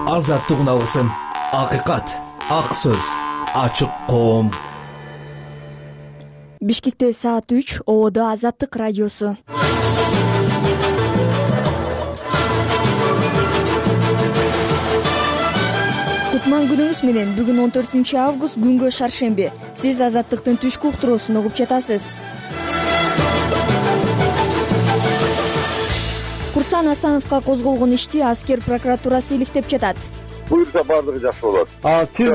Азаттык алгысым, акыйкат, ак сөз, ачык коом. Бишкекте саат 3, Ободо Азаттык радиосу. Кутман күнүңүз менен. Бүгүн 14 август, күнгө шаршемби. Сиз Азаттыктын түшкү уктуруусун угуп жатасыз. Курсан Асановго козголгон ишти аскер прокуратурасы иликтеп жатат. Буюрса баардыгы жакшы болот. Сиз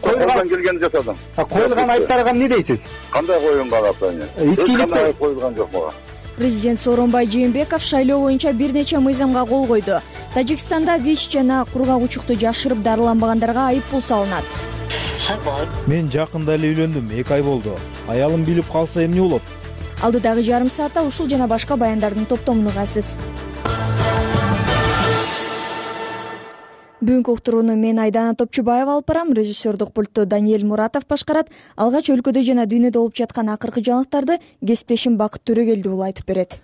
келгенди жасадым. Коюлган айыптарга эмне дейсиз? Кандай коюлган айыптар? Ичкиликте коюлган жок мага. Президент Сооронбай Жээнбеков шайлоо боюнча бир нече мыйзамга кол койду. Тажикстанда ВИЧ жана кургак учукту жашырып дарыланбагандарга айыппул салынат. Мен жакында эле үйлөндүм, 2 ай болду. Аялым билип калса эмне болот? Алдыдагы жарым саатта ушул жана башка баяндардын топтомун угасыз. Бүгүнкү уктурууну мен Айдана Топчубаева алып барам. Режиссердук пультту Даниэль Муратов башкарат. Алгач өлкөдө жана дүйнөдө болуп жаткан акыркы жаңылыктарды кесиптешим Бакыт Төрөгелдиұлы айтып берет.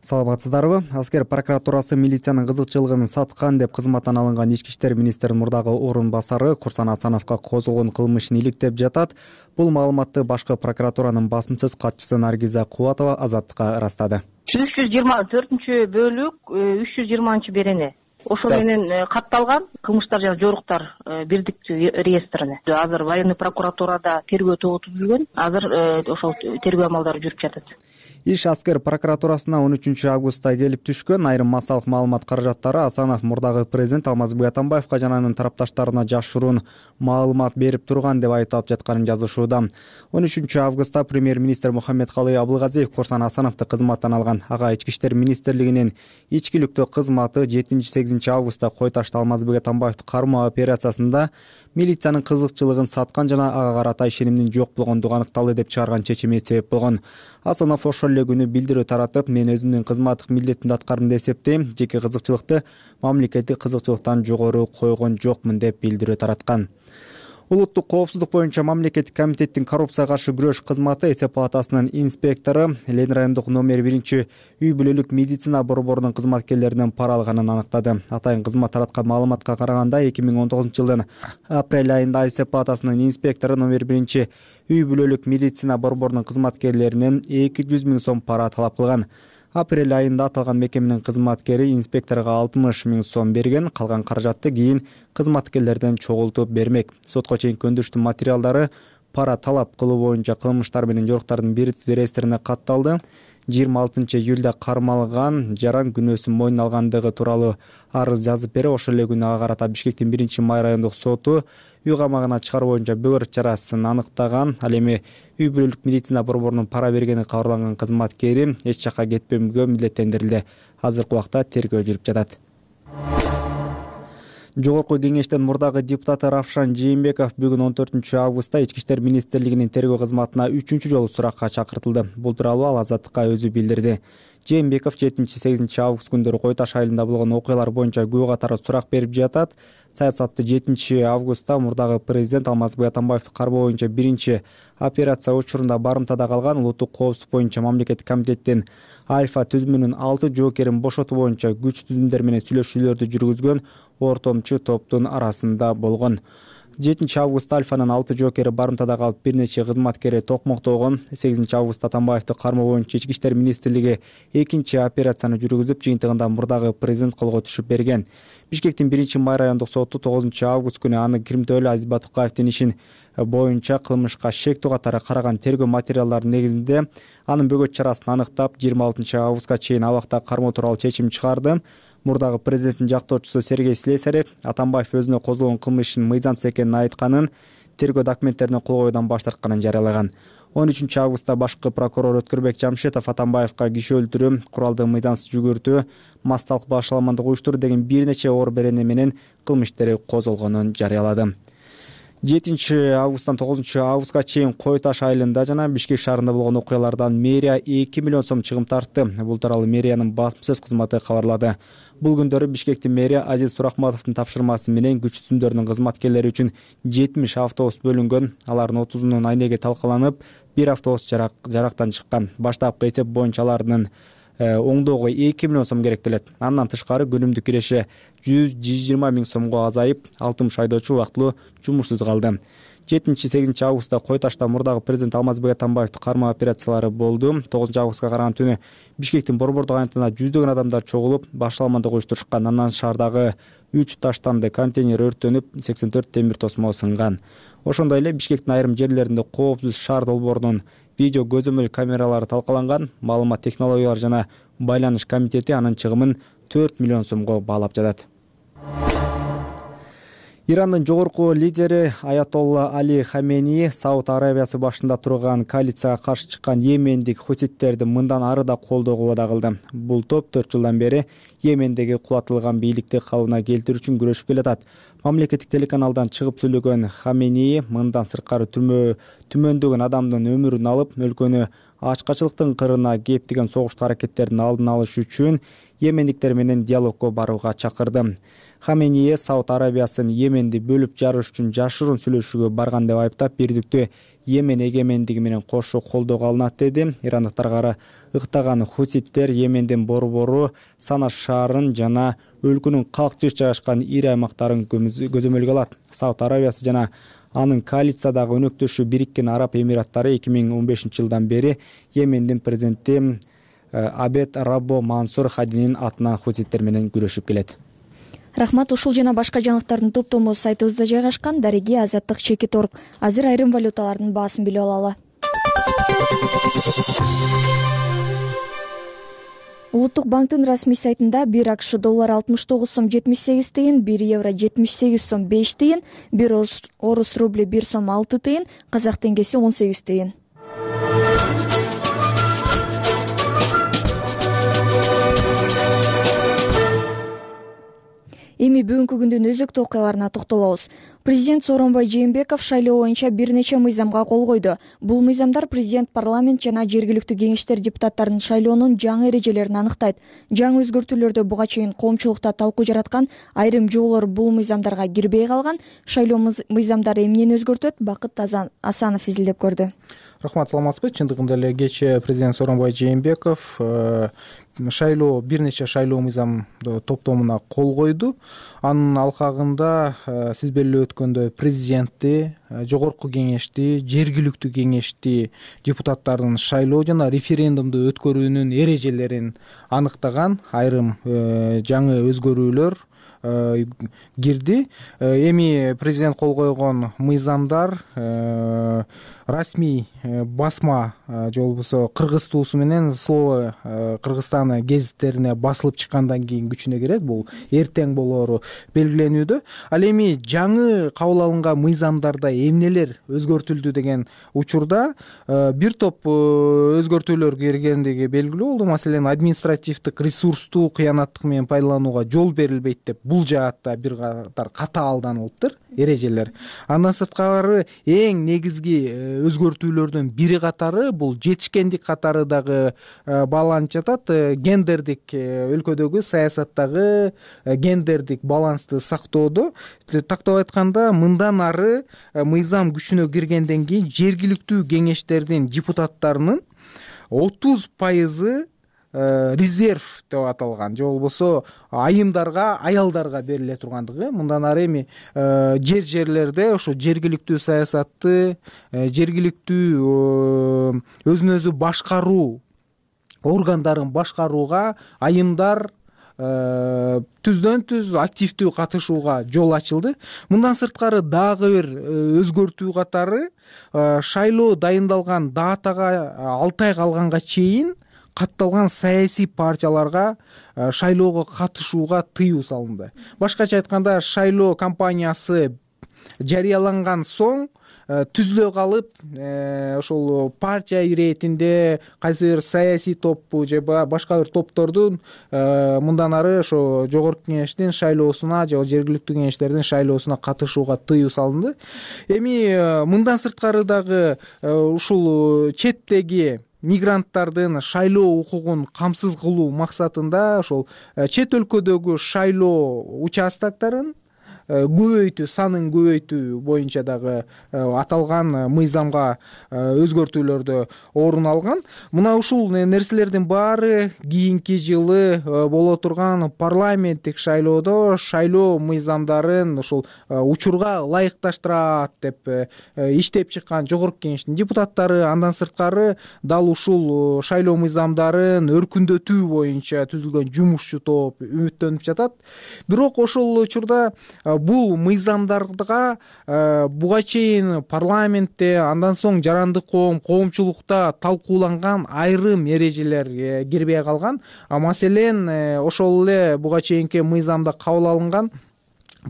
Саламатсыздарбы? Аскер прокуратурасы милициянын кызыкчылыгын саткан деп кызматтан алынган ички иштер министринин мурдагы орун басары Курсан Асановго козголгон кылмышын иликтеп жатат. Бул маалыматты башкы прокуратуранын басым сөз катчысы Наргиза Кубатова Азаттыкка ырастады. 324-бөлүк 320 берене. Ошо менен катталган кылмыштар жана жоруктар бирдиктүү реестрине. Азыр военный прокуратурада тергөө тобу түзүлгөн. Азыр ошол тергөө амалдары жүрүп жатат. Иш аскер прокуратурасына 13 августта келип түшкөн. Айрым массалык маалымат каражаттары Асанов мурдагы президент Алмазбек Атамбаевга жана анын тарапташтарына жашыруун маалымат берип турган деп айтылып жатканын жазышууда. 13 августта премьер-министр Мухаммедкалый Абылгазиев Курсан Асановду кызматтан алган. Ага ички иштер министрлигинин ичкиликтүү кызматы 7-8 августта Кой Ташты Алмазбек Атамбаевди кармоо операциясында милициянын кызыкчылыгын саткан жана ага карата ишенимдин жок болгондугу аныкталды деп чыгарган чечими себеп болгон. Асанов ошол эле күнү билдирүү таратып, мен өзүмдүн кызматтык милдетимди аткардым деп эсептейм. Жеке кызыкчылыкты мамлекеттик кызыкчылыктан жогору койгон жокмун деп билдирүү тараткан. Улуттук коопсуздук боюнча мамлекеттик комитеттин коррупцияга каршы күрөш кызматы эсеп палатасынын инспектору Ленин райондук номер 1 үй бүлөлүк медицина борборунун кызматкерлеринен пара алганын аныктады. Атайын кызмат тараткан маалыматка караганда 2019-жылдын апрель айында эсеп палатасынын инспектору номер 1 үй бүлөлүк медицина борборунун кызматкерлеринен 200 000 сом пара талап кылган. Апрель айында аталган мекеменин кызматкери инспекторго 60 000 сом берген, калган каражатты кийин кызматкерлерден чогултуп бермек. Сотко чейинки өндүрүштүн материалдары пара талап кылуу боюнча кылмыштар менен жоруктардын бирдиктүү реестрине катталды. 26 июлда кармалган жаран күнөөсүн мойнуна алгандыгы тууралуу арыз жазып берип, ошол эле күнү ага карата Бишкектин 1-май райондук соту үй камагына чыгаруу боюнча бөгөр чарасын аныктаган. Ал эми үй бүлөлүк медицина борборунун пара бергени кабарланган кызматкери эч жакка кетпөөгө милдеттендирилди. Азыркы убакта тергөө жүрүп жатат. Жогорку кеңештин мурдагы депутаты Равшан Жээнбеков бүгүн 14 августта ички иштер министрлигинин тергөө кызматына 3 жолу суракка чакыртылды. Бул тууралуу ал Азаттыкка өзү билдирди. Жээнбеков 7-8 август күндөрү Кой Таш айылында болгон окуялар боюнча күбө катары сурак берип жатат. Саясатты 7 августта мурдагы президент Алмазбек Атамбаевди кармоо боюнча 1 операция учурунда барымтада калган улуттук коопсуздук боюнча мамлекеттик комитеттин Альфа түзүмүнүн 6 жоокерин бошотуу боюнча күч түзүмдөр менен сүйлөшүүлөрдү жүргүзгөн ортомчу топтун арасында болгон. 7 августта Альфанын 6 жоокери барымтада калып, бир нече кызматкери токмоктолгон. 8 августта Атамбаевди кармоо боюнча ички иштер министрлиги 2 операцияны жүргүзүп, жыйынтыгында мурдагы президент колго түшүп берген. Бишкектин 1-май райондук соту 9 август күнү аны Кирмтөөлү Азиз Батукаевдин ишин боюнча кылмышка шектүү катары караган тергөө материалдары негизинде анын бөгөт чарасын аныктап, 26 августка чейин абакта кармоо тууралуу чечим чыгарды. Мурдагы президенттин жактоочусу Сергей Слесарев Атамбаев өзүнө козголгон кылмыштын мыйзамсыз экенин айтканын, тергөө документтерине кол коюудан баш тартканын жарыялаган. 13 августта башкы прокурор Өткүрбек Жамшетов Атамбаевга киши өлтүрүү, куралды мыйзамсыз жүгүртүү, масталык башаламандык уюштуруу деген бир нече оор берене менен кылмыштары козголгонун жарыялады. 7 августтан 9 августка чейин Кой Таш айылында жана Бишкек шаарында болгон окуялардан мэрия 2 миллион сом чыгым тартты. Бул тууралуу мэриянын басым сөз кызматы кабарлады. Бул күндөрү Бишкектин мэрия Азиз Сурахматовдун тапшырмасы менен күч түзүмдөрүнүн кызматкерлери үчүн 70 автобус бөлүнгөн. Алардын 30-унун айнеги талкаланып, 1 автобус жарактан чыккан. Баштапкы эсеп боюнча алардын оңдоого 2 миллион сом керектелет. Андан тышкары күнүмдүк киреше 100-120 миң сомго азайып, 60 айдоочу убактылуу жумушсуз калды. 7-8 августта Кой Ташта мурдагы президент Алмазбек Атамбаевди кармоо операциялары болду. 9 августка караган түнү Бишкектин Борбордук айылында жүздөгөн адамдар чогулуп, башаламандык уюштурушкан. Андан шаардагы 3 таштанды контейнер өрттөнүп, 84 темир тосмо сынган. Ошондой эле Бишкектин айрым жерлеринде коопсуз шаар долбоорунун видео көзөмөл камералары талкаланган. Маалымат технологиялары жана байланыш комитети анын чыгымын 4 миллион сомго баалап жатат. Ирандын жогорку лидери Аятолла Али Хамени Сауд Арабиясы башында турган коалицияга каршы чыккан йемендик хуситтерди мындан ары да колдоого убада кылды. Бул топ 4 жылдан бери Йемендеги кулатылган бийликти калыбына келтирүү үчүн күрөшүп келатат. Мамлекеттик телеканалдан чыгып сүйлөгөн Хамени мындан сырткары түмөндөгөн адамдын өмүрүн алып, өлкөнү ачкачылыктын кырына кептеген согуштуу аракеттердин алдын алыш үчүн йемендиктер менен диалогго барууга чакырды. Хамени Сауд Арабиясын Йеменди бөлүп жарыш үчүн жашыруун сүйлөшүүгө барган деп айыптап, бирдиктүү Йемен эгемендиги менен кошо колдоого алынат деди. Ирандыктарга ыктаган хуситтер Йемендин борбору Сана шаарын жана өлкөнүн калк жыш жайгашкан ири аймактарын көзөмөлгө алат. Сауд Арабиясы жана анын коалициядагы өнөктөшү Бириккен Араб Эмираттары 2015-жылдан бери Йемендин президенти Абед Раббо Мансур Хадинин атынан хуситтер менен күрөшүп келет. Рахмат. Ушул жана башка жаңылыктардын топтому сайтыбызда жайгашкан. Дареги Азаттык Чекит.орг. Азыр айрым валюталардын баасын билип алалы. Улуттук банктын расмий сайтында 1 АКШ доллары 69 сом 78 тыйын, 1 евро 78 сом 5 тыйын, 1 орус рубли 1 сом 6 тыйын, казак теңгеси 18 тыйын. Эми бүгүнкү күндүн өзөктүү окуяларына токтолобуз. Президент Сооронбай Жээнбеков шайлоо боюнча бир нече мыйзамга кол койду. Бул мыйзамдар президент, парламент жана жергиликтүү кеңештер депутаттарынын шайлоонун жаңы эрежелерин аныктайт. Жаңы өзгөртүүлөрдө буга чейин коомчулукта талкуу жараткан айрым жоолор бул мыйзамдарга кирбей калган. Шайлоо мыйзамдары эмнени өзгөртөт? Бакыт Асанов изилдеп көрдү. Рахмат, саламатсызбы. Чындыгында эле кечээ президент Сооронбай Жээнбеков бир нече шайлоо мыйзам топтомуна кол койду. Анын алкагында сиз белгилеп өткөндөй президентти, жогорку кеңешти, жергиликтүү кеңешти депутаттардын шайлоо жана референдумду өткөрүүнүн эрежелерин аныктаган айрым жаңы өзгөрүүлөр кирди. Эми президент кол койгон мыйзамдар расмий басма же болбосо кыргыз туусу менен Слово Кыргызстан гезиттерине басылып чыккандан кийин күчүнө кирет. Бул эртең болоору белгиленүүдө. Ал эми жаңы кабыл алынган мыйзамдарда эмнелер өзгөртүлдү деген учурда бир топ өзгөртүүлөр киргендиги белгилүү болду. Маселен, административдик ресурсту кыянаттык менен пайдаланууга жол берилбейт деп бул жаатта бир катар катаалданылыптыр эрежелер. Андан сырткары эң негизги өзгөртүүлөрдүн бири катары бул жетишкендик катары дагы бааланып жатат. Гендердик өлкөдөгү саясаттагы гендердик балансты сактоодо. Тактап айтканда, мындан ары мыйзам күчүнө киргенден кийин жергиликтүү кеңештердин депутаттарынын 30% резерв деп аталган, же болбосо айымдарга, аялдарга бериле тургандыгы. Мындан ары эми жерлерде ошо жергиликтүү саясатты, жергиликтүү өзүн өзү башкаруу органдарын башкарууга айымдар түздөн түз активдүү катышууга жол ачылды. Мындан сырткары дагы бир өзгөртүү катары шайлоо дайындалган датага 6 ай калганга чейин катталган саясий партияларга шайлоого катышууга тыюу салынды. Башкача айтканда, шайлоо кампаниясы жарыяланган соң түзүлө калып, ошол партия иретинде кайсы бир саясий топпу же башка бир топтордун мындан ары ошо жогорку кеңештин шайлоосуна же жергиликтүү кеңештердин шайлоосуна катышууга тыюу салынды. Эми мындан сырткары дагы ушул четтеги мигранттардын шайлоо укугун камсыз кылуу максатында ошол чет өлкөдөгү шайлоо участоктарын көбөйтүү, санын көбөйтүү боюнча дагы аталган мыйзамга өзгөртүүлөрдө орун алган. Мына ушул нерселердин баары кийинки жылы боло турган парламенттик шайлоодо шайлоо мыйзамдарын ушул учурга ылайыкташтырат деп иштеп чыккан жогорку кеңештин депутаттары, андан сырткары дал ушул шайлоо мыйзамдарын өркүндөтүү боюнча түзүлгөн жумушчу топ үмүттөнүп жатат. Бирок ошол учурда бул мыйзамдарга буга чейин парламентте, андан соң жарандык коомчулукта талкууланган айрым эрежелер кирбей калган. Маселен, ошол эле буга чейинки мыйзамда кабыл алынган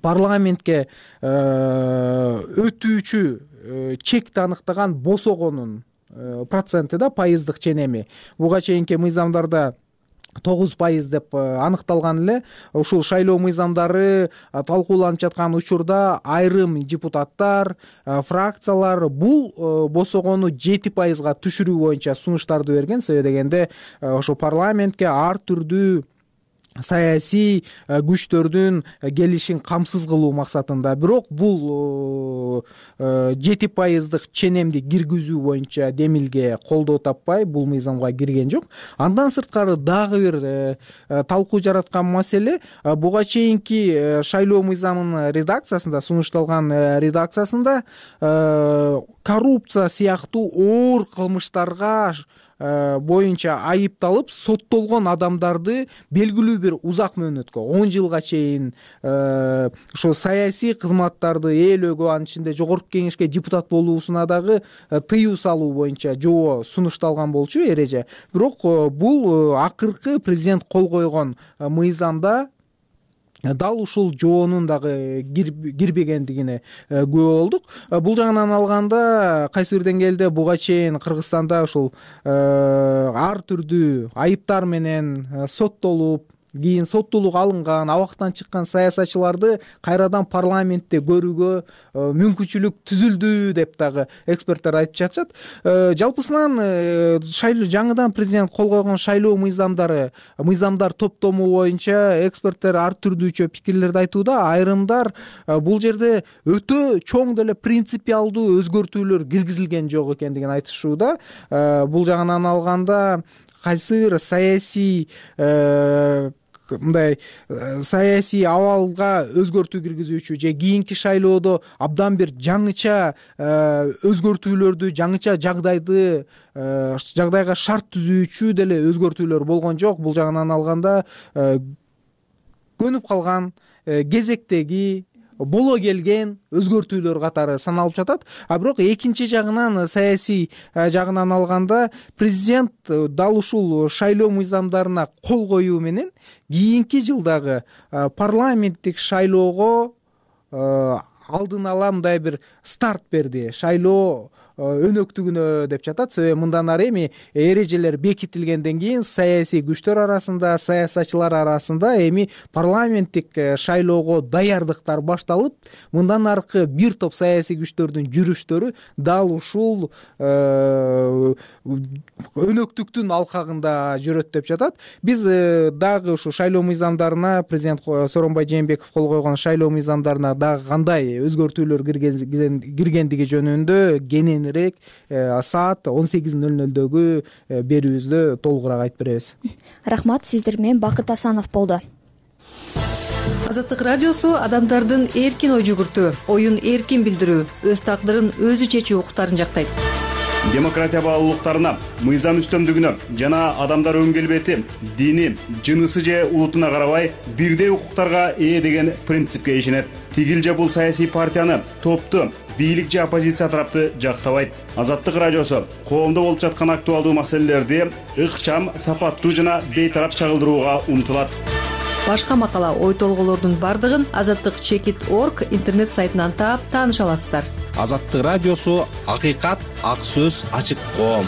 парламентке өтүүчү чекти аныктаган босогонун проценти да, пайыздык ченеми. Буга чейинки мыйзамдарда 9% деп аныкталган эле. Ушул шайлоо мыйзамдары талкууланып жаткан учурда айрым депутаттар, фракциялар бул босогону 7%га түшүрүү боюнча сунуштарды берген. Себеби дегенде ошо парламентке ар түрдүү саясий күчтөрдүн келишин камсыз кылуу максатында. Бирок бул 7%дык ченемди киргизүү боюнча демилге колдоо таппай бул мыйзамга кирген жок. Андан сырткары дагы бир талкуу жараткан маселе, буга чейинки шайлоо мыйзамынын редакциясында, сунушталган редакциясында коррупция сыяктуу оор кылмыштарга боюнча айыпталып соттолгон адамдарды белгилүү бир узак мөөнөткө, 10 жылга чейин ошо саясий кызматтарды ээлөөгө, анын ичинде жогорку кеңешке депутат болуусуна дагы тыюу салуу боюнча жобо сунушталган болчу, эреже. Бирок бул акыркы президент кол койгон мыйзамда дал ушул жоонун дагы кирбегендигине күбө болдук. Бул жагынан алганда кайсы бир деңгээлде буга чейин Кыргызстанда ушул ар түрдүү айыптар менен соттолуп, кийин соттуулук алынган, абактан чыккан саясатчыларды кайрадан парламентте көрүүгө мүмкүнчүлүк түзүлдү деп дагы эксперттер айтып жатышат. Жалпысынан жаңыдан президент кол койгон шайлоо мыйзамдар топтому боюнча эксперттер ар түрдүүчө пикирлерди айтууда. Айрымдар бул жерде өтө чоң деле принципиалдуу өзгөртүүлөр киргизилген жок экендигин айтышууда. Бул жагынан алганда кайсы бир саясий абалга өзгөртүү киргизүүчү же кийинки шайлоодо абдан бир жаңыча өзгөртүүлөрдү, жаңыча жагдайга шарт түзүүчү деле өзгөртүүлөр болгон жок. Бул жагынан алганда көнүп калган, кезектеги, боло келген өзгөртүүлөр катары саналып жатат. Бирок экинчи жагынан, саясий жагынан алганда, президент дал ушул шайлоо мыйзамдарына кол коюу менен кийинки жылдагы парламенттик шайлоого алдын ала мындай бир старт берди. Шайлоо өнөктүгүнө деп жатат. Себеби мындан ары эми эрежелер бекитилгенден кийин саясий күчтөр арасында, саясатчылар арасында эми парламенттик шайлоого даярдыктар башталып, мындан аркы бир топ саясий күчтөрдүн жүрүштөрү дал ушул өнөктүктүн алкагында жүрөт деп жатат. Биз дагы ушу шайлоо мыйзамдарына, президент Сооронбай Жээнбеков кол койгон шайлоо мыйзамдарына дагы кандай өзгөртүүлөр киргендиги жөнүндө кенен саат 18:00дөгү берүүбүздө толугураак айтып беребиз. Рахмат, сиздер менен Бакыт Асанов болду. Азаттык радиосу адамдардын эркин ой жүгүртүү, оюн эркин билдирүү, өз тагдырын өзү чечүү укуктарын жактайт. Демократия баалуулуктарына, мыйзам үстөмдүгүнө жана адамдар өң келбети, дини, жынысы же улутуна карабай бирдей укуктарга ээ деген принципке ишенет. Тигил же бул саясий партияны, топту, бийлик же оппозиция тарапты жактабайт. Азаттык радиосу коомдо болуп жаткан актуалдуу маселелерди ыкчам, сапаттуу жана бейтарап чагылдырууга умтулат. Башка макала, ой толголордун бардыгын azattik.org интернет сайтынан таап тааныша аласыздар. Азаттык радиосу акыйкат, ак сөз, ачык коом.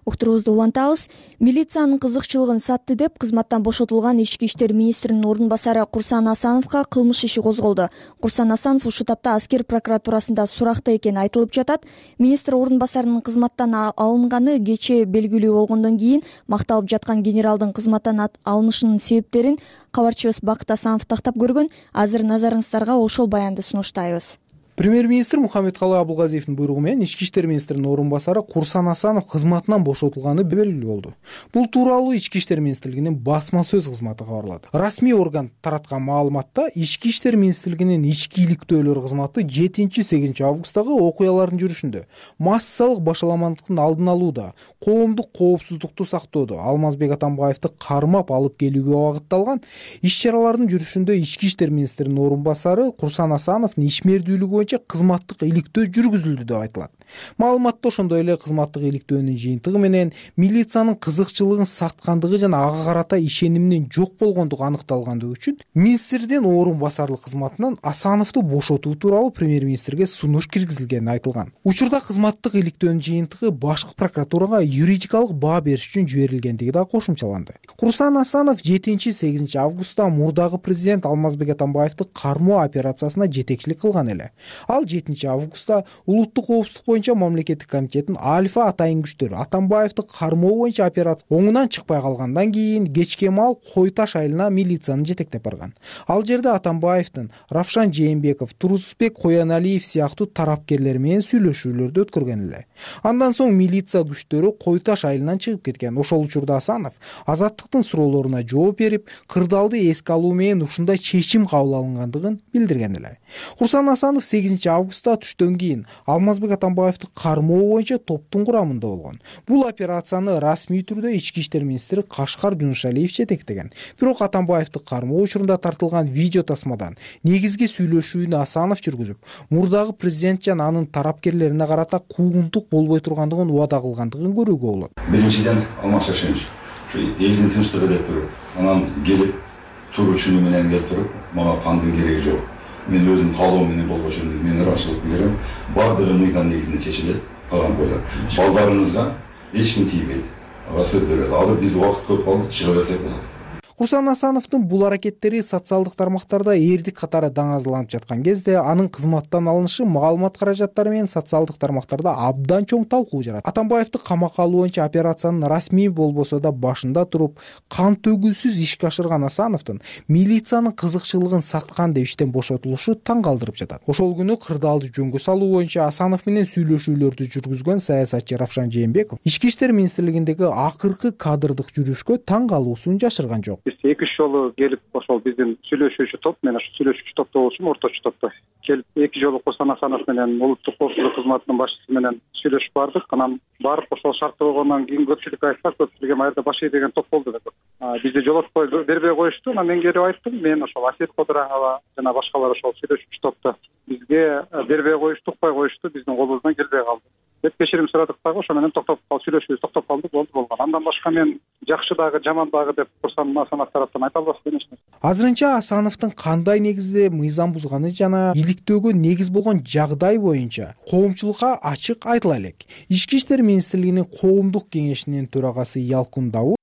Уктуруубузду улантабыз. Милициянын кызыкчылыгын сатты деп кызматтан бошотулган Ички иштер министринин ордун басары Курсан Асановго кылмыш иши козголду. Курсан Асанов ушул тапта аскер прокуратурасында суракта экени айтылып жатат. Министр ордун басарынын кызматтан алынганы кечээ белгилүү болгондон кийин макталып жаткан генералдын кызматтан алынышынын себептерин кабарчыбыз Бакыт Асанов тактап көргөн. Азыр назарыңыздарга ошол баянды сунуштайбыз. Премьер-министр Мухаммедкалый Абылгазиевдин буйругу менен Ички иштер министринин ордун басары Курсан Асанов кызматынан бошотулганы белгилүү болду. Бул тууралуу Ички иштер министрлигинин басма сөз кызматы кабарлады. Расмий орган тараткан маалыматта Ички иштер министрлигинин ички иликтөөлөр кызматы 7-8 августтагы окуялардын жүрүшүндө массалык башаламандыктын алдын алууда, коомдук коопсуздукту сактоодо Алмазбек Атамбаевди кармап алып келүүгө багытталган иш-чаралардын жүрүшүндө Ички иштер министринин ордун басары Курсан Асановдун ишмердүүлүгү кызматтык иликтөө жүргүзүлдү деп айтылат. Маалыматта ошондой эле кызматтык иликтөөнүн жыйынтыгы менен милициянын кызыкчылыгын саткандыгы жана ага карата ишенимдин жок болгондугу аныкталгандыгы үчүн министрдин ордун басарлык кызматынан Асановду бошотуу тууралуу премьер-министрге сунуш киргизилгени айтылган. Учурда кызматтык иликтөөнүн жыйынтыгы башкы прокуратурага юридикалык баа бериш үчүн жиберилгендиги да кошумчаланды. Курсан Асанов 7-8 августта мурдагы президент Алмазбек Атамбаевди кармоо операциясына жетекчилик кылган эле. Ал 7 августта улуттук коопсуздук боюнча мамлекеттик комитеттин альфа атайын күчтөрү Атамбаевди кармоо боюнча операция оңунан чыкпай калгандан кийин кечке маал Кой Таш айылына милицияны жетектеп барган. Ал жерде Атамбаевдин Равшан Жээнбеков, Турусбек Кояналиев сыяктуу тарапкерлер менен сүйлөшүүлөрдү өткөргөн эле. Андан соң милиция күчтөрү Кой Таш айылынан чыгып кеткен. Ошол учурда Асанов Азаттыктын суроолоруна жооп берип, кырдаалды эске алуу менен ушундай чечим кабыл алынгандыгын билдирген эле. Курсан Асанов 8 августта түштөн кийин Алмазбек Атамбаевди кармоо боюнча топтун курамында болгон. Бул операцияны расмий түрдө Ички иштер министри Кашкар Жунушалиев жетектеген. Бирок Атамбаевди кармоо учурунда тартылган видео тасмадан негизги сүйлөшүүнү Асанов жүргүзүп, мурдагы президент жана анын тарапкерлерине карата куугунтук болбой тургандыгын убада кылгандыгын көрүүгө болот. Биринчиден Алмаз Шашенович ушу элдин тынчтыгы деп туруп, анан келип туручуну менен келип туруп, мага кандын кереги жок. Мен өзүм каалоом менен болбошу мен ырашылык билдирем. Бардыгы мыйзам негизинде чечилет. Калган бойдон балдарыңызга эч ким тийбейт. Ага сөз берет. Азыр биз убакыт көп калды, чыга берсек болот. Курсан Асановдун бул аракеттери социалдык тармактарда эрдик катары даңазаланып жаткан кезде анын кызматтан алынышы маалымат каражаттары менен социалдык тармактарда абдан чоң талкуу жаратты. Атамбаевди камакка алуу боюнча операциянын расмий болбосо да башында туруп, кан төгүүсүз ишке ашырган Асановдун милициянын кызыкчылыгын саткан деп иштен бошотулушу таң калтырып жатат. Ошол күнү кырдаалды жөнгө салуу боюнча Асанов менен сүйлөшүүлөрдү жүргүзгөн саясатчы Равшан Жээнбеков Ички иштер министрлигиндеги акыркы кадрдык жүрүшкө таң калуусун жашырган жок. Биз 2 жолу келип ошол биздин сүйлөшүүчү топ, мен ошо сүйлөшүүчү топто болчумун, орточу топто. Келип 2 жолу Курсан Асанов менен улуттук коопсуздук кызматынын башчысы менен сүйлөшүп бардык. Анан барып ошол шарттуу болгондон кийин көпчүлүк айтса, көпчүлүк эми айрда баш ийдеген топ болду деп. Бизди жолотпой бербей коюшту. Анан мен келип айттым, мен ошол Асет Кодураңова жана башкалар ошол сүйлөшүүчү топто бизге бербей коюшту, укпай коюшту, биздин колубуздан келбей калды деп кечирим сурадык дагы. Ошо менен сүйлөшүүбүз токтоп калды, болду болгон. Андан башка мен жакшы дагы, жаман дагы деп Курсан Асанов тараптан айта албаспын эч нерсе. Азырынча Асановдун кандай негизде мыйзам бузганы жана иликтөөгө негиз болгон жагдай боюнча коомчулукка ачык айтыла элек. Ички иштер министрлигинин коомдук кеңешинин төрагасы Ялкун Давудов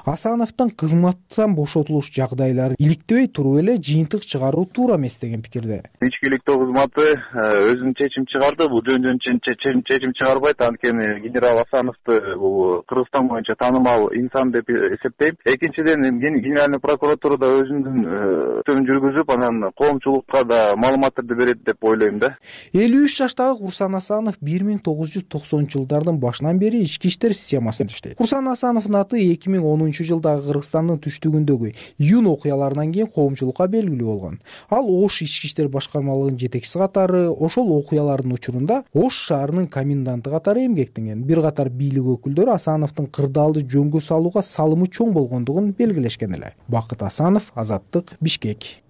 Асановдун кызматтан бошотулуш жагдайлары иликтебей туруп эле жыйынтык чыгаруу туура эмес деген пикирде. Ички иликтөө кызматы өзүнүн чечим чыгарды. Бул жөн чечим чыгарбайт. Анткени генерал Асановду бул Кыргызстан боюнча таанымал инсан деп эсептейм. Экинчиден генеральный прокуратурада өзүнүн жүргүзүп, анан коомчулукка да маалыматтарды берет деп ойлойм да. 53 жаштагы Курсан Асанов 1990-жылдардын башынан бери ички иштер системасында иштейт. Курсан Асановдун аты 2010-жылдагы Кыргызстандын түштүгүндөгү июнь окуяларынан кийин коомчулукка белгилүү болгон. Ал Ош ички иштер башкармалыгынын жетекчиси катары ошол окуялардын учурунда Ош шаарынын коменданты катары эмгектенген. Бир катар бийлик өкүлдөрү Асановдун кырдаалды жөнгө салууга салымы чоң болгондугун белгилешкен эле. Бакыт Асанов, Азаттык, Бишкек.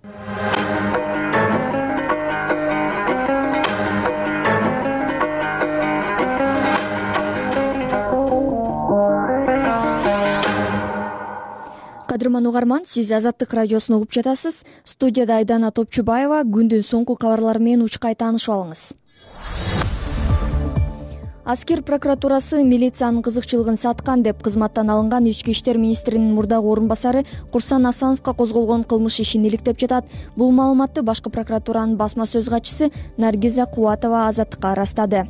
Кадырман угарман, сиз Азаттык радиосун угуп жатасыз. Студияда Айдана Топчубаева. Күндүн соңку кабарлары менен учкай таанышып алыңыз. Аскер прокуратурасы милициянын кызыкчылыгын саткан деп кызматтан алынган Ички иштер министринин мурдагы орун басары Курсан Асановго козголгон кылмыш ишин иликтеп жатат. Бул маалыматты башкы прокуратуранын басма сөз катчысы Наргиза Кубатова Азаттыкка ырастады.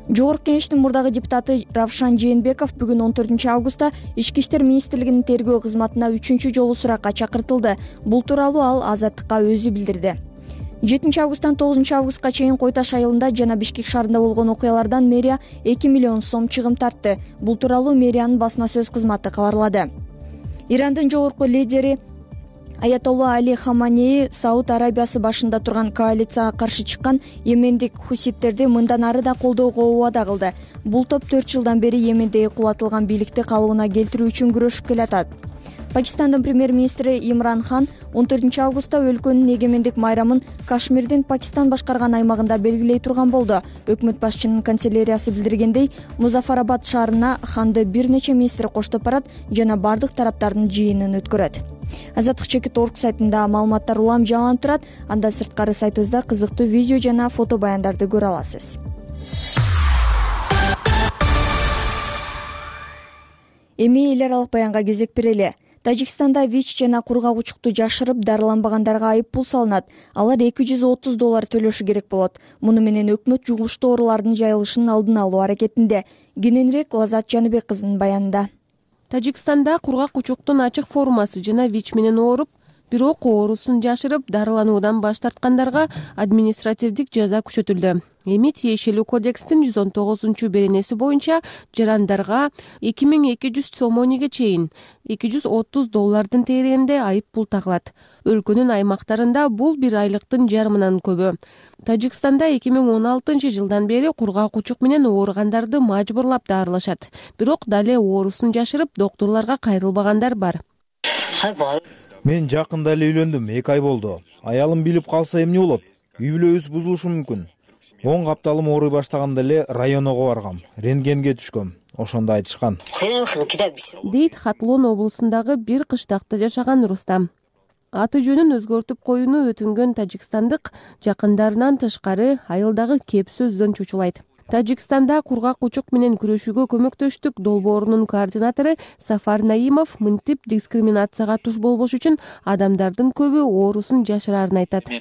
Жогорку Кеңештин мурдагы депутаты Равшан Жээнбеков бүгүн 14 августта Ички иштер министрлигинин тергөө кызматына 3-чү жолу суракка чакыртылды. Бул тууралуу ал Азаттыкка өзү билдирди. 7 августтан 9 августка чейин Кой Таш айылында жана Бишкек шаарында болгон окуялардан мэрия 2 миллион сом чыгым тартты. Бул тууралуу мэриянын басма сөз кызматы кабарлады. Ирандын жогорку лидери Аятолла Али Хаманеи Сауд Арабиясы башында турган коалицияга каршы чыккан Йемендик хуситтерди мындан ары да колдоого убада кылды. Бул топ 4 жылдан бери Йемендеги кулатылган бийликти калыбына келтирүү үчүн күрөшүп келатат. Пакистандын премьер-министри Имран Хан 14 августта өлкөнүн эгемендик майрамын Кашмирдин Пакистан башкарган аймагында белгилей турган болду. Өкмөт башчынын канцеляриясы билдиргендей, Музафарабад шаарына Ханды бир нече министр коштоп барат жана бардык тараптардын жыйынын өткөрөт. Азаттык Чекит.org сайтында маалыматтар улам жаланып турат. Андан сырткары сайтыбызда кызыктуу видео жана фото баяндарды көрө аласыз. Эми эл аралык баянга кезек берели. Тажикстанда ВИЧ жана кургак учукту жашырып дарыланбагандарга айып пул салынат. Алар $230 төлөшү керек болот. Муну менен өкмөт жугуштуу оорулардын жайылышынын алдын алуу аракетинде. Кененирээк Лазат Жаныбек кызынын баянында. Тажикстанда кургак учуктун ачык формасы жана ВИЧ менен ооруп, бирок оорусун жашырып дарылануудан баш тарткандарга административдик жаза күчөтүлдү. Эми тиешелүү кодекстин 119-беренеси боюнча жарандарга 2200 сомониге чейин $230 тегерегинде айып пул тагылат. Өлкөнүн аймактарында бул бир айлыктын жарымынан көбү. Тажикстанда 2016 жылдан бери кургак учук менен ооругандарды мажбурлап дарылашат. Бирок дале оорусун жашырып доктурларга кайрылбагандар бар. Мен жакында эле үйлөндүм, 2 ай болду. Аялым билип калса эмне болот? Үй бүлөбүз бузулушу мүмкүн. 10 капталым ооруй баштаганда эле районго баргам, рентгенге түшкөм. Ошондо айтышкан. Дейт Хатлон облусундагы бир кыштакта жашаган Рустам. Аты жөнүн өзгөртүп коюуну өтүнгөн тажикстандык жакындарынан тышкары айылдагы кеп сөздөн чочулайт. Тажикстанда кургак учук менен күрөшүүгө көмөктөштүк долбоорунун координатору Сафар Наимов мынтип дискриминацияга туш болбош үчүн адамдардын көбү оорусун жашырарын айтат.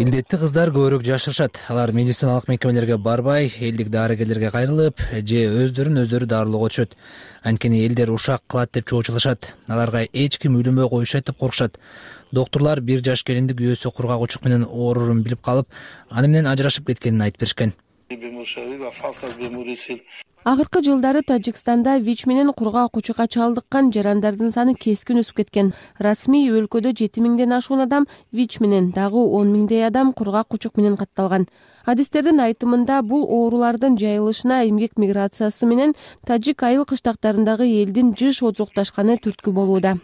Илдетти кыздар көбүрөөк жашырышат. Алар медициналык мекемелерге барбай, элдик дарыгерлерге кайрылып, же өздөрү дарылоого түшөт. Анткени элдер ушак кылат деп чоочулашат. Аларга эч ким үйлөнбөй коюшат деп коркушат. Доктурлар 1 жаш келинди күйөөсү кургак учук менен оорурун билип калып, аны менен ажырашып кеткенин айтып беришкен. Акыркы жылдары Тажикстанда ВИЧ менен кургак учукка чалдыккан жарандардын саны кескин өсүп кеткен. Расмий өлкөдө 7000ден ашуун адам ВИЧ менен, дагы 10 000 адам кургак учук менен катталган. Адистердин айтымында бул оорулардын жайылышына эмгек миграциясы менен тажик айыл кыштактарындагы элдин жыш отурукташканы түрткү болууда.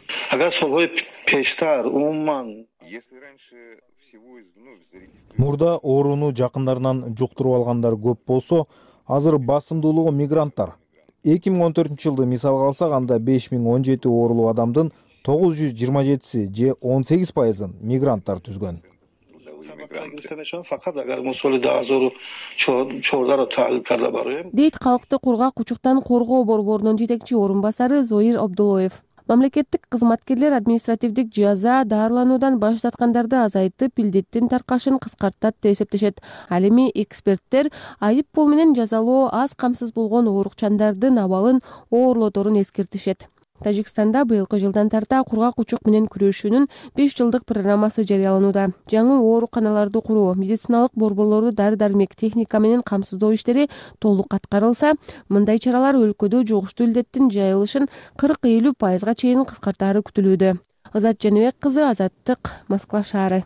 Мурда ооруну жакындарынан жуктуруп алгандар көп болсо, азыр басымдуулугу мигранттар. 2014 жылды мисалга алсак, анда 5017 оорулуу адамдын 927си же 18%ын мигранттар түзгөн. Дейт калкты кургак учуктан коргоо борборунун жетекчи орун басары Зоир Абдулоев. Мамлекеттик кызматкерлер административдик жаза дарылануудан баш тарткандарды азайтып, илдеттин таркашын кыскартат деп эсептешет. Ал эми эксперттер айып пул менен жазалоо аз камсыз болгон оорукчандардын абалын оорлоторун эскертишет. Тажикстанда быйылкы жылдан тарта кургак учук менен күрөшүүнүн 5 жылдык программасы жарыяланууда. Жаңы ооруканаларды куруу, медициналык борборлорду дары-дармек, техника менен камсыздоо иштери толук аткарылса, мындай чаралар өлкөдө жугуштуу илдеттин жайылышын 40-50% чейин кыскартаары күтүлүүдө. Азат Жаныбек кызы, Азаттык, Москва шаары.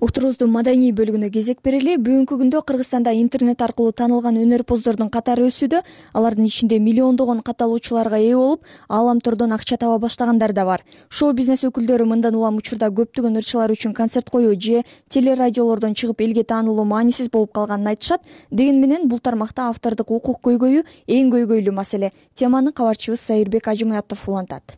Уктурубуздун маданий бөлүгүнө кезек берели. Бүгүнкү күндө Кыргызстанда интернет аркылуу таанылган өнөрпоздордун катары өсүүдө. Алардын ичинде миллиондогон катталуучуларга ээ болуп, ааламтордон акча таба баштагандар да бар. Шоу-бизнес өкүлдөрү мындан улам учурда көптөгөн ырчылар үчүн концерт коюу же телерадиолордон чыгып элге таанылуу маанисиз болуп калганын айтышат. Деген менен бул тармакта автордук укук көйгөйү эң көйгөйлүү маселе. Теманы кабарчыбыз Сайырбек Ажымаятов улантат.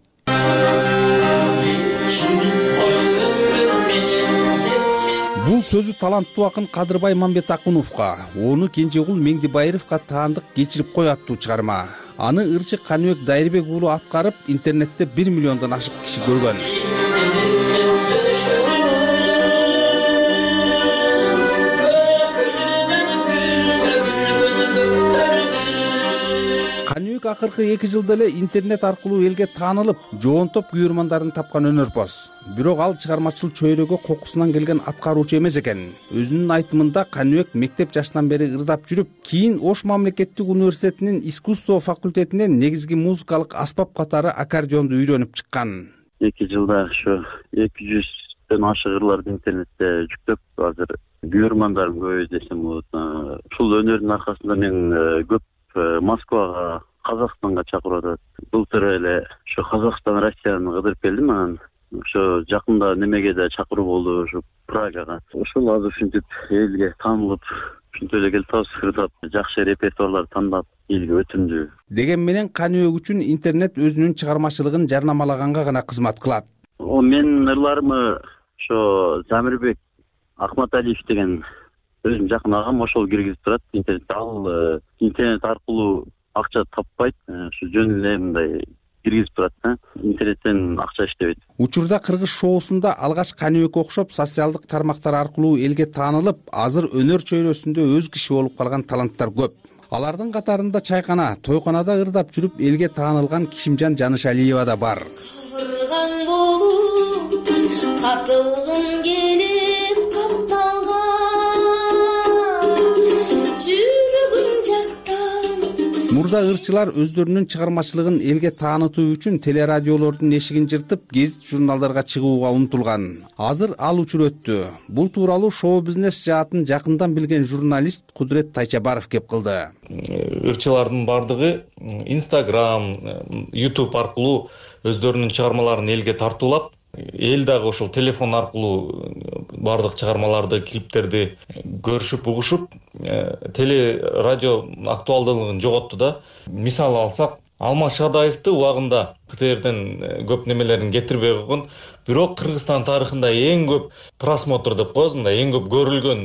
бул сөзү таланттуу акын Кадырбай Мамбетакуновго, ону Кенжегул Меңдибайыровго таандык кечирип кой аттуу чыгарма. Аны ырчы Каныбек Дайырбек уулу аткарып, интернетте 1 миллиондон ашык киши көргөн. Каныбек акыркы 2 жылда эле интернет аркылуу элге таанылып, жоонтоп күйөрмандарын тапкан өнөрпоз. Бирок ал чыгармачыл чөйрөгө кокусунан келген аткаруучу эмес экен. Өзүнүн айтымында Каныбек мектеп жашынан бери ырдап жүрүп, кийин Ош мамлекеттик университетинин искусство факультетинен негизги музыкалык аспап катары аккордеонду үйрөнүп чыккан. 2 жылда ошо 200дөн ашык ырларды интернетте жүктөп, азыр күйөрмандарым көбөйдү десем болот. Ушул өнөрдүн аркасында мен көп Москвага, Казакстанга чакырып атат. Былтыр эле ошо Казакстан, Россияны кыдырып келдим. Анан ошо жакында немеге да чакыруу болду, ошо Прагага. Ошол азыр ушинтип элге таанылып, ушинтип эле келип ырдап, жакшы репертуарлар тандап, элге өтүмдүү. Деген менен Каныбек үчүн интернет өзүнүн чыгармачылыгын жарнамалаганга гана кызмат кылат. Менин ырларымы ошо Замирбек Акматалиев деген өзүм жакын агам ошол киргизип турат интернетте. Ал интернет аркылуу акча таппайт, ушу жөн эле мындай киргизип турат да. Интернеттен акча иштебейт. Учурда Кыргыз шоусунда алгач Каныбекке окшоп социалдык тармактар аркылуу элге таанылып, азыр өнөр чөйрөсүндө өз киши болуп калган таланттар көп. Алардын катарында чайкана, тойконада ырдап жүрүп элге таанылган Кишимжан Жанышалиева да бар. Кабырган болуп катылгым келет капталган жүрөгүм жактан. Мурда ырчылар өздөрүнүн чыгармачылыгын элге таанытуу үчүн телерадиолордун эшигин жыртып, гезит журналдарга чыгууга умтулган. Азыр ал учур өттү. Бул тууралуу шоу-бизнес жаатын жакындан билген журналист Кудурет Тайчабаров кеп кылды. Ырчылардын бардыгы Instagram, YouTube аркылуу өздөрүнүн чыгармаларын элге тартуулап, эл дагы ошол телефон аркылуу бардык чыгармаларды, клиптерди көрүшүп, угушуп, теле радио актуалдуулугун жоготту да. Мисал алсак, Алмаз Шадаевди убагында КТРден көп немелерин кетирбей койгон, бирок Кыргызстан тарыхында эң көп просмотр деп коебуз, мындай эң көп көрүлгөн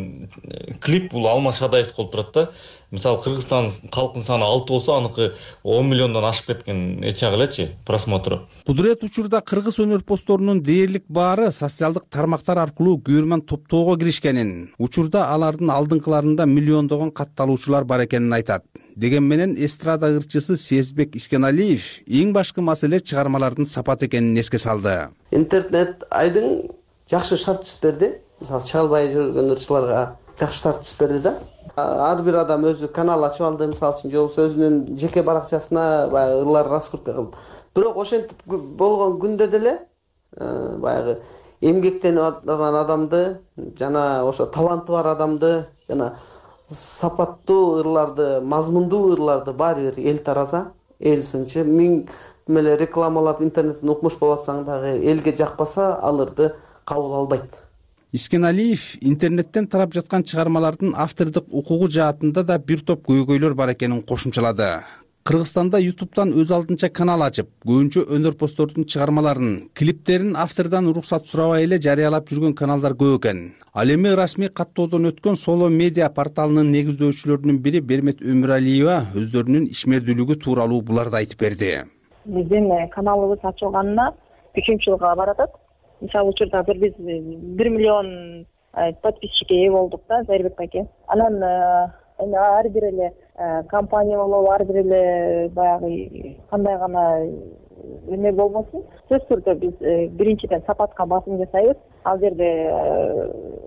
клип бул Алмаз Шадаевдики болуп турат да. Мисалы Кыргызстан калкынын саны 6 болсо, аныкы 10 миллиондон ашып кеткен эчак элечи просмотру. Кудурет учурда кыргыз өнөрпоздорунун дээрлик баары социалдык тармактар аркылуу күйөрман топтоого киришкенин, учурда алардын алдыңкыларында миллиондогон катталуучулар бар экенин айтат. Деген менен эстрада ырчысы Сезбек Искеналиев эң башкы маселе чыгармалардын сапаты экенин эске салды. Интернет айдың жакшы шарт түзүп берди. Мисалы чыга албай жүргөн ырчыларга жакшы шарт түзүп берди да. Ар бир адам өзү канал ачып алды, мисалы үчүн, же болбосо өзүнүн жеке баракчасына баягы ырлар раскрутка кылып. Бирок ошентип болгон күндө деле баягы эмгектенип аткан адамды, жана ошо таланты бар адамды, жана сапаттуу ырларды, мазмундуу ырларды баары бир эл тараза, эл сынчы миң эле рекламалап интернеттен укмуш болуп атсаң дагы элге жакпаса, ал ырды кабыл албайт. Искеналиев интернеттен тарап жаткан чыгармалардын автордук укугу жаатында да бир топ көйгөйлөр бар экенин кошумчалады. Кыргызстанда YouTube'дан өз алдынча канал ачып, көбүнчө өнөрпоздордун чыгармаларын, клиптерин автордон уруксат сурабай эле жарыялап жүргөн каналдар көп экен. Ал эми расмий каттоодон өткөн Соло медиа порталынын негиздөөчүлөрүнүн бири Бермет Өмүралиева өздөрүнүн ишмердүүлүгү тууралуу буларды айтып берди. Биздин каналыбыз ачылганына 3 жылга баратат. Мисалы учурда биз 1 миллион подписчикке ээ болдук да, Зайырбек байке. Анан ар бир эле компания болобу, ар бир эле баягы кандай гана эме болбосун, сөзсүз түрдө биз биринчиден сапатка басым жасайбыз. Ал жерде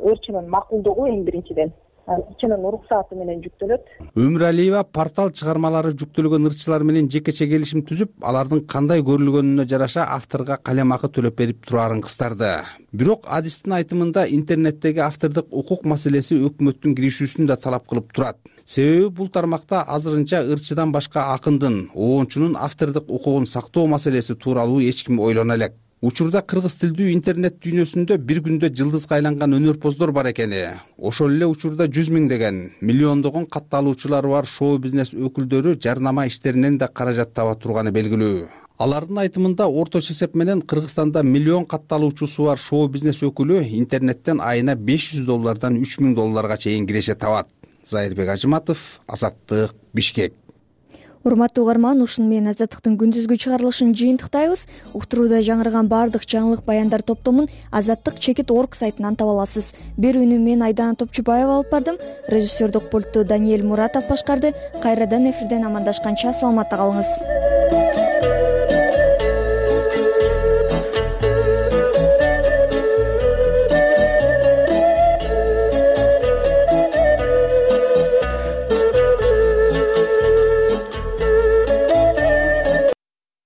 ырчынын макулдугу эң биринчиден, ырчынын уруксаты менен жүктөлөт. Өмүралиева портал чыгармалары жүктөлгөн ырчылар менен жекече келишим түзүп, алардын кандай көрүлгөнүнө жараша авторго калем акы төлөп берип турарын кыстарды. Бирок адистин айтымында интернеттеги автордук укук маселеси өкмөттүн киришүүсүн да талап кылып турат. Себеби бул тармакта азырынча ырчыдан башка акындын, оончунун автордук укугун сактоо маселеси тууралуу эч ким ойлоно элек. Учурда кыргыз тилдүү интернет дүйнөсүндө бир күндө жылдызга айланган өнөрпоздор бар экени, ошол эле учурда 100 миңдеген, миллиондогон катталуучулары бар шоу-бизнес өкүлдөрү жарнама иштеринен да каражат таба турганы белгилүү. алардын айтымында орточо эсеп менен Кыргызстанда миллион катталуучусу бар шоу бизнес өкүлү интернеттен айына $500 $3000 чейин киреше табат. Зайырбек Ажыматов, Азаттык, Бишкек. Урматтуу угарман, ушуну менен Азаттыктын күндүзгү чыгарылышын жыйынтыктайбыз. Уктурууда жаңырган баардык жаңылык баяндар топтомун azаттык.org сайтынан таба аласыз. Берүүнү мен Айдана Топчубаева алып бардым. Режиссердик пультту Даниэль Муратов башкарды. Кайрадан эфирден амандашканча саламатта калыңыз.